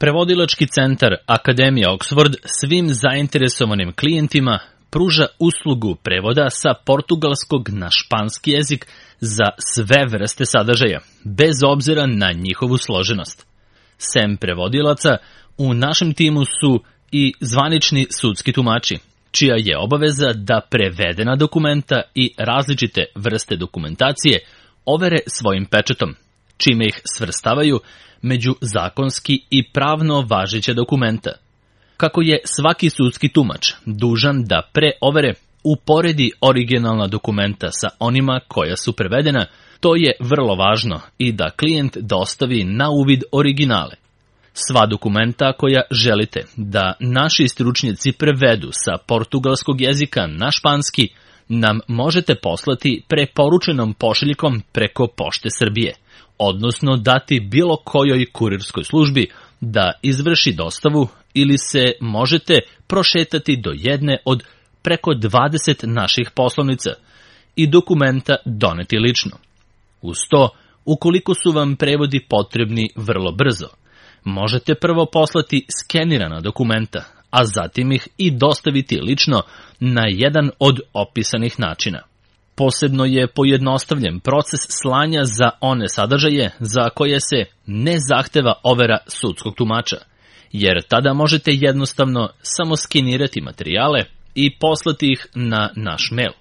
Prevodilački centar Akademija Oxford svim zainteresovanim klijentima pruža uslugu prevoda sa portugalskog na španski jezik za sve vrste sadržaja, bez obzira na njihovu složenost. Sem prevodilaca, u našem timu su i zvanični sudski tumači, čija je obaveza da prevedena dokumenta i različite vrste dokumentacije overe svojim pečatom, čime ih svrstavaju među zakonski i pravno važeća dokumenta. Kako je svaki sudski tumač dužan da pre overe uporedi originalna dokumenta sa onima koja su prevedena, to je vrlo važno i da klijent dostavi na uvid originale. Sva dokumenta koja želite da naši stručnjaci prevedu sa portugalskog jezika na španski nam možete poslati preporučenom pošiljkom preko Pošte Srbije, odnosno dati bilo kojoj kurirskoj službi da izvrši dostavu ili se možete prošetati do jedne od preko 20 naših poslovnica i dokumenta doneti lično. Uz to, ukoliko su vam prevodi potrebni vrlo brzo, možete prvo poslati skenirana dokumenta, a zatim ih i dostaviti lično na jedan od opisanih načina. Posebno je pojednostavljen proces slanja za one sadržaje za koje se ne zahteva overa sudskog tumača, jer tada možete jednostavno samo skenirati materijale i poslati ih na naš mail.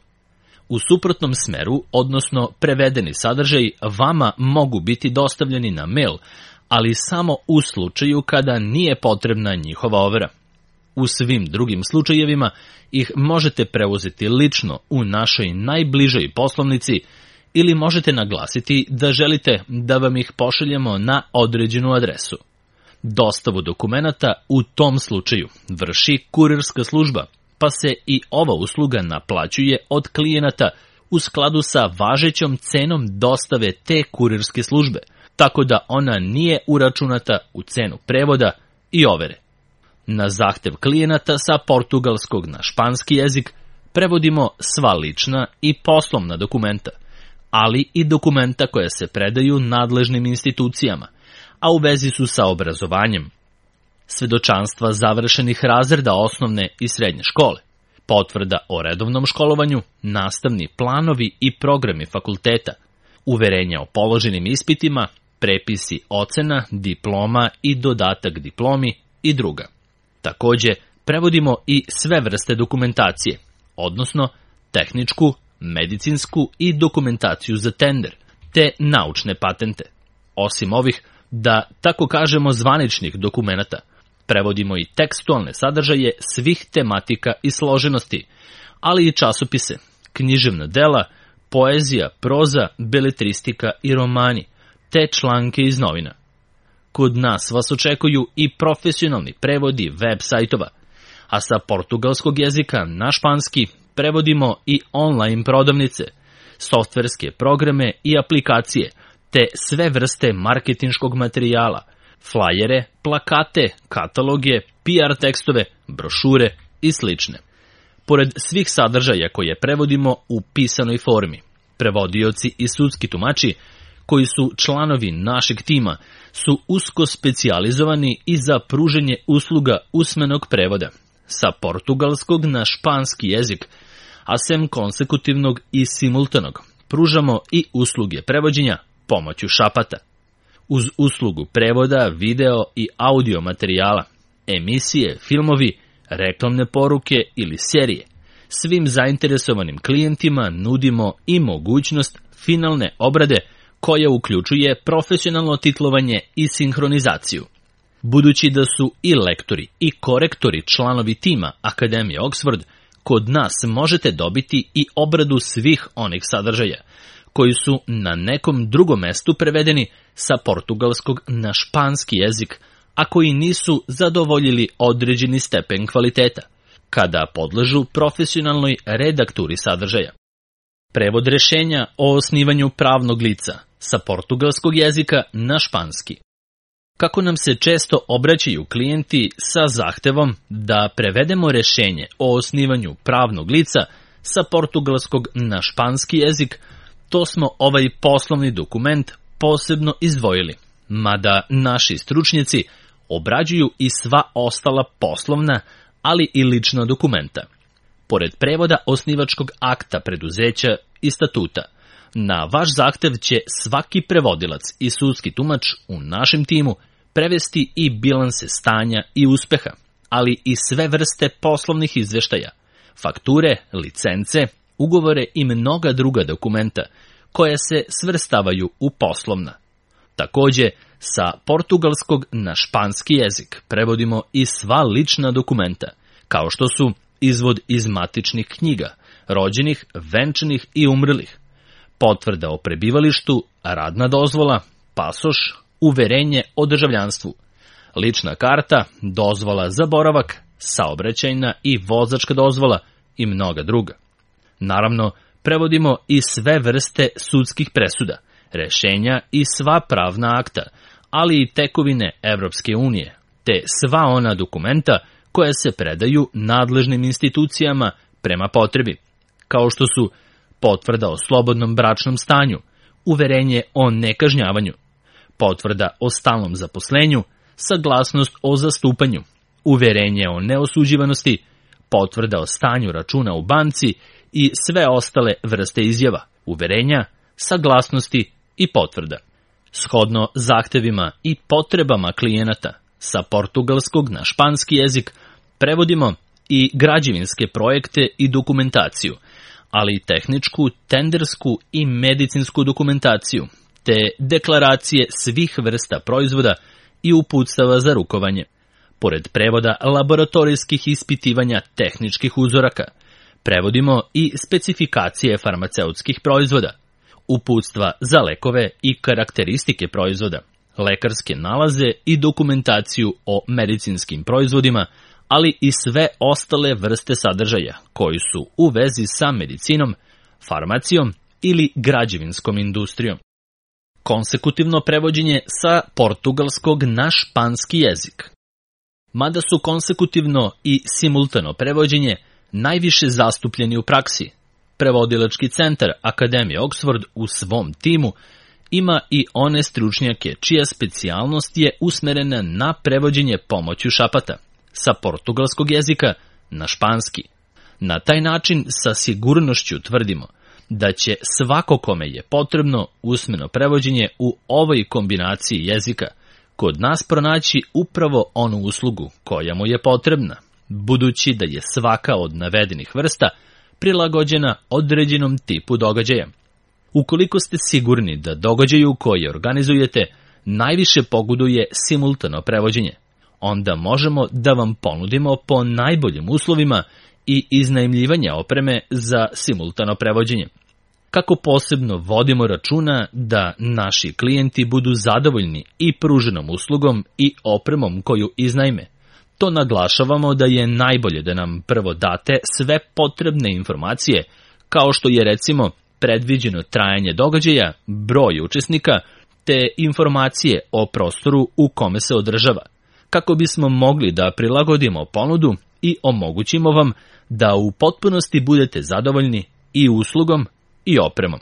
U suprotnom smeru, odnosno prevedeni sadržaj, vama mogu biti dostavljeni na mail, ali samo u slučaju kada nije potrebna njihova overa. U svim drugim slučajevima ih možete preuzeti lično u našoj najbližoj poslovnici ili možete naglasiti da želite da vam ih pošaljemo na određenu adresu. Dostavu dokumenata u tom slučaju vrši kurirska služba, pa se i ova usluga naplaćuje od klijenata u skladu sa važećom cenom dostave te kurirske službe, tako da ona nije uračunata u cenu prevoda i overe. Na zahtev klijenata sa portugalskog na španski jezik prevodimo sva lična i poslovna dokumenta, ali i dokumenta koja se predaju nadležnim institucijama, a u vezi su sa obrazovanjem, svedočanstva završenih razreda osnovne i srednje škole, potvrda o redovnom školovanju, nastavni planovi i programi fakulteta, uverenja o položenim ispitima, prepisi ocena, diploma i dodatak diplomi i druga. Takođe, prevodimo i sve vrste dokumentacije, odnosno tehničku, medicinsku i dokumentaciju za tender, te naučne patente. Osim ovih, da tako kažemo, zvaničnih dokumenata, prevodimo i tekstualne sadržaje svih tematika i složenosti, ali i časopise, književna dela, poezija, proza, beletristika i romani, te članke iz novina. Kod nas vas očekuju i profesionalni prevodi web sajtova, a sa portugalskog jezika na španski prevodimo i online prodavnice, softverske programe i aplikacije, te sve vrste marketinškog materijala, flajere, plakate, kataloge, PR tekstove, brošure i slične. Pored svih sadržaja koje prevodimo u pisanoj formi, prevodioci i sudski tumači koji su članovi našeg tima su usko specijalizovani i za pruženje usluga usmenog prevoda sa portugalskog na španski jezik, a sem konsekutivnog i simultanog pružamo i usluge prevođenja pomoću šapata. Uz uslugu prevoda, video i audio materijala, emisije, filmovi, reklamne poruke ili serije, svim zainteresovanim klijentima nudimo i mogućnost finalne obrade koja uključuje profesionalno titlovanje i sinhronizaciju. Budući da su i lektori i korektori članovi tima Akademije Oxford, kod nas možete dobiti i obradu svih onih sadržaja koji su na nekom drugom mestu prevedeni sa portugalskog na španski jezik, a koji nisu zadovoljili određeni stepen kvaliteta, kada podležu profesionalnoj redakturi sadržaja. Prevod rešenja o osnivanju pravnog lica sa portugalskog jezika na španski. Kako nam se često obraćaju klijenti sa zahtevom da prevedemo rešenje o osnivanju pravnog lica sa portugalskog na španski jezik, to smo ovaj poslovni dokument posebno izdvojili, mada naši stručnjaci obrađuju i sva ostala poslovna, ali i lična dokumenta. Pored prevoda osnivačkog akta preduzeća i statuta, na vaš zahtev će svaki prevodilac i sudski tumač u našem timu prevesti i bilanse stanja i uspeha, ali i sve vrste poslovnih izveštaja, fakture, licence, ugovore i mnoga druga dokumenta koja se svrstavaju u poslovna. Takođe, sa portugalskog na španski jezik prevodimo i sva lična dokumenta, kao što su izvod iz matičnih knjiga, rođenih, venčanih i umrlih, potvrda o prebivalištu, radna dozvola, pasoš, uverenje o državljanstvu, lična karta, dozvola za boravak, saobraćajna i vozačka dozvola i mnoga druga. Naravno, prevodimo i sve vrste sudskih presuda, rešenja i sva pravna akta, ali i tekovine Evropske unije, te sva ona dokumenta koja se predaju nadležnim institucijama prema potrebi, kao što su potvrda o slobodnom bračnom stanju, uverenje o nekažnjavanju, potvrda o stalnom zaposlenju, saglasnost o zastupanju, uverenje o neosuđivanosti, potvrda o stanju računa u banci i sve ostale vrste izjava, uverenja, saglasnosti i potvrda. Shodno zahtevima i potrebama klijenata, sa portugalskog na španski jezik prevodimo i građevinske projekte i dokumentaciju, ali i tehničku, tendersku i medicinsku dokumentaciju, te deklaracije svih vrsta proizvoda i uputstava za rukovanje. Pored prevoda laboratorijskih ispitivanja tehničkih uzoraka, prevodimo i specifikacije farmaceutskih proizvoda, uputstva za lekove i karakteristike proizvoda, lekarske nalaze i dokumentaciju o medicinskim proizvodima, ali i sve ostale vrste sadržaja koji su u vezi sa medicinom, farmacijom ili građevinskom industrijom. Konsekutivno prevođenje sa portugalskog na španski jezik. Mada su konsekutivno i simultano prevođenje najviše zastupljeni u praksi, prevodilački centar Akademije Oxford u svom timu ima i one stručnjake čija specijalnost je usmerena na prevođenje pomoću šapata, sa portugalskog jezika na španski. Na taj način sa sigurnošću tvrdimo da će svako kome je potrebno usmeno prevođenje u ovoj kombinaciji jezika kod nas pronaći upravo onu uslugu koja mu je potrebna, budući da je svaka od navedenih vrsta prilagođena određenom tipu događaja. Ukoliko ste sigurni da događaju koje organizujete najviše pogoduje simultano prevođenje, onda možemo da vam ponudimo po najboljim uslovima i iznajmljivanje opreme za simultano prevođenje. Kako posebno vodimo računa da naši klijenti budu zadovoljni i pruženom uslugom i opremom koju iznajme, to naglašavamo da je najbolje da nam prvo date sve potrebne informacije, kao što je recimo predviđeno trajanje događaja, broj učesnika, te informacije o prostoru u kome se održava, kako bismo mogli da prilagodimo ponudu i omogućimo vam da u potpunosti budete zadovoljni i uslugom i opremom.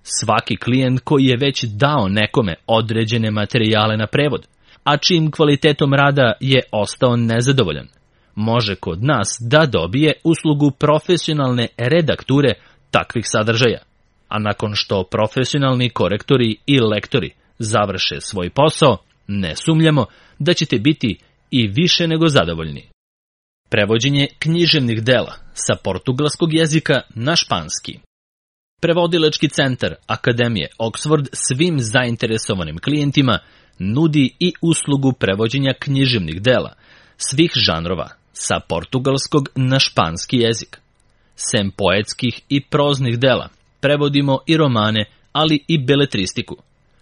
Svaki klijent koji je već dao nekome određene materijale na prevod, a čijim kvalitetom rada je ostao nezadovoljan, može kod nas da dobije uslugu profesionalne redakture takvih sadržaja, a nakon što profesionalni korektori i lektori završe svoj posao, ne sumnjamo da ćete biti i više nego zadovoljni. Prevođenje književnih dela sa portugalskog jezika na španski. Prevodilački centar Akademije Oxford svim zainteresovanim klijentima nudi i uslugu prevođenja književnih dela svih žanrova sa portugalskog na španski jezik. Sem poetskih i proznih dela, prevodimo i romane, ali i beletristiku.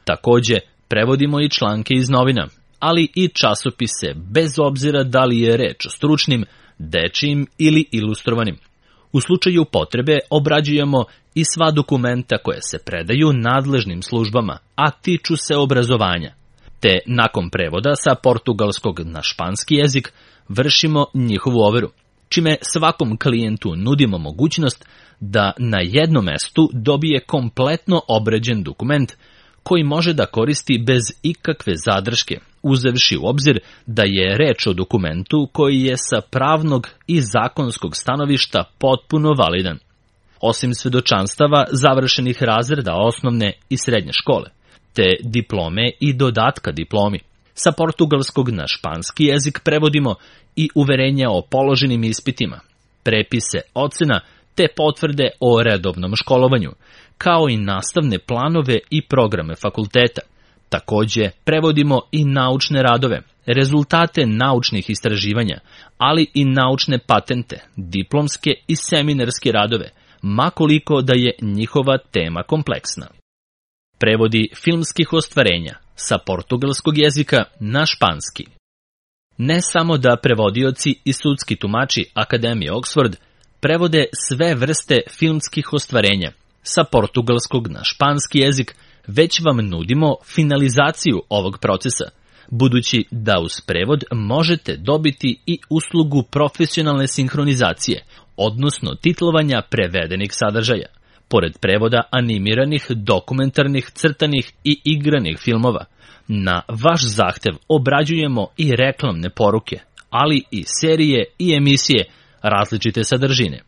Takođe, prevodimo i članke iz novina, ali i časopise, bez obzira da li je reč o stručnim, dečijim ili ilustrovanim. U slučaju potrebe obrađujemo i sva dokumenta koje se predaju nadležnim službama, a tiču se obrazovanja. Te nakon prevoda sa portugalskog na španski jezik vršimo njihovu overu, čime svakom klijentu nudimo mogućnost da na jednom mestu dobije kompletno obrađen dokument koji može da koristi bez ikakve zadrške uzevši u obzir da je reč o dokumentu koji je sa pravnog i zakonskog stanovišta potpuno validan. Osim svedočanstava završenih razreda osnovne i srednje škole, te diplome i dodatka diplomi. Sa portugalskog na španski jezik prevodimo i uverenja o položenim ispitima, prepise ocena te potvrde o redovnom školovanju, kao i nastavne planove i programe fakulteta. Takođe, prevodimo i naučne radove, rezultate naučnih istraživanja, ali i naučne patente, diplomske i seminarske radove, ma koliko da je njihova tema kompleksna. Prevodi filmskih ostvarenja sa portugalskog jezika na španski. Ne samo da prevodioci i sudski tumači Akademije Oxford prevode sve vrste filmskih ostvarenja sa portugalskog na španski jezik, već vam nudimo finalizaciju ovog procesa, budući da uz prevod možete dobiti i uslugu profesionalne sinhronizacije, odnosno titlovanja prevedenih sadržaja, pored prevoda animiranih, dokumentarnih, crtanih i igranih filmova. Na vaš zahtev obrađujemo i reklamne poruke, ali i serije i emisije različite sadržine.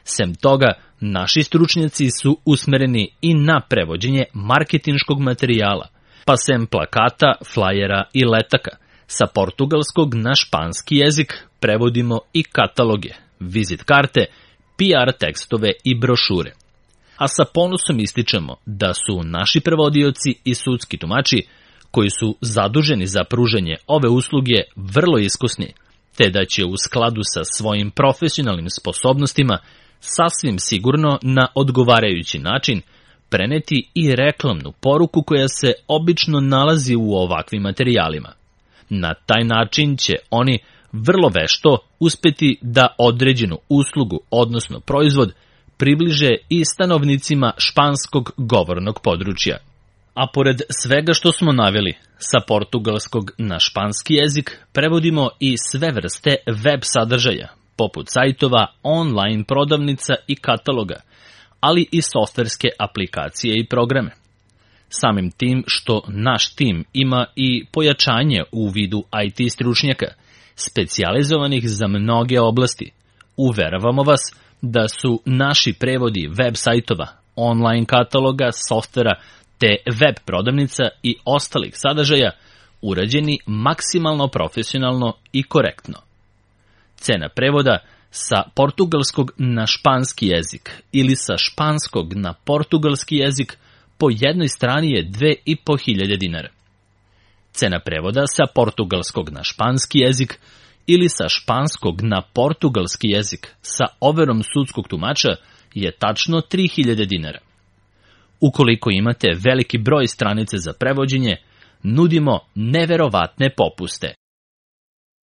Sem toga, naši stručnjaci su usmereni i na prevođenje marketinškog materijala, pa sem plakata, flajera i letaka, sa portugalskog na španski jezik prevodimo i kataloge, vizit karte, PR tekstove i brošure. A sa ponosom ističemo da su naši prevodioci i sudski tumači, koji su zaduženi za pružanje ove usluge, vrlo iskusni, te da će u skladu sa svojim profesionalnim sposobnostima sasvim sigurno na odgovarajući način preneti i reklamnu poruku koja se obično nalazi u ovakvim materijalima. Na taj način će oni vrlo vešto uspeti da određenu uslugu, odnosno proizvod, približe i stanovnicima španskog govornog područja. A pored svega što smo naveli, sa portugalskog na španski jezik prevodimo i sve vrste web sadržaja, poput sajtova, online prodavnica i kataloga, ali i softverske aplikacije i programe. Samim tim što naš tim ima i pojačanje u vidu IT stručnjaka, specijalizovanih za mnoge oblasti, uveravamo vas da su naši prevodi web sajtova, online kataloga, softvera te web prodavnica i ostalih sadržaja urađeni maksimalno profesionalno i korektno. Cena prevoda sa portugalskog na španski jezik ili sa španskog na portugalski jezik po jednoj strani je 2500 dinara. Cena prevoda sa portugalskog na španski jezik ili sa španskog na portugalski jezik sa overom sudskog tumača je tačno 3000 dinara. Ukoliko imate veliki broj stranice za prevođenje, nudimo neverovatne popuste.